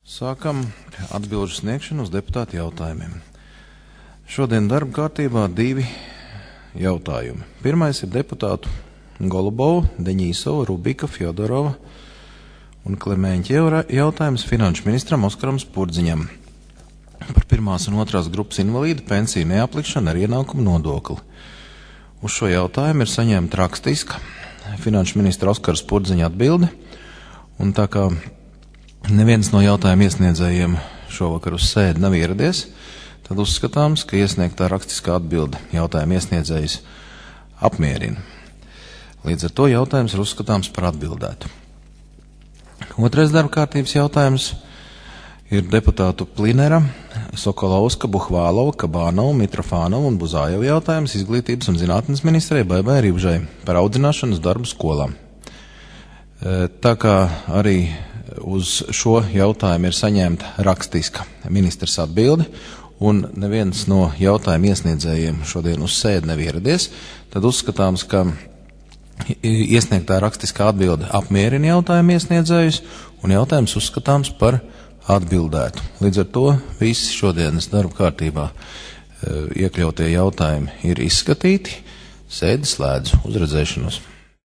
Sākam atbilžu sniegšanu uz deputātu jautājumiem. Šodien darba kārtībā 2 jautājumi. Pirmais ir deputātu Golubova, Deņīsova, Rubika, Fjodorova un Klemēņķieva jautājums finanšu ministram Oskaram Spurdziņam par 1. un 2. grupas invalīdu pensiju neaplikšanu ar ienākumu nodokli. Uz šo jautājumu ir saņemta rakstiska finanšu ministra Oskara Spurdziņa atbilde, un tā kā neviens no jautājumu iesniedzējiem šovakar uz sēdi nav ieradies, tad uzskatāms, ka iesniegtā rakstiskā atbilde jautājumu iesniedzējs apmierina. Līdz ar to jautājums ir uzskatāms par atbildētu. Otrais darba kārtības jautājums ir deputātu Plinera, Sokolovska, Buhvālova, Kabānova, Mitrofānova un Buzājeva jautājums izglītības un zinātnes ministrei Baibai Ribžai par audzināšanas darbu skolām. Tā kā arī uz šo jautājumu ir saņemta rakstiska ministrs atbilde, un neviens no jautājumu iesniedzējiem šodien uz sēdi nav ieradies, tad uzskatāms, ka iesniegtā rakstiskā atbilde apmierina jautājumu iesniedzējus, un jautājums uzskatāms par atbildētu. Līdz ar to visi šodienas darba kārtībā iekļautie jautājumi ir izskatīti. Sēdi slēdzu. Uz redzēšanos.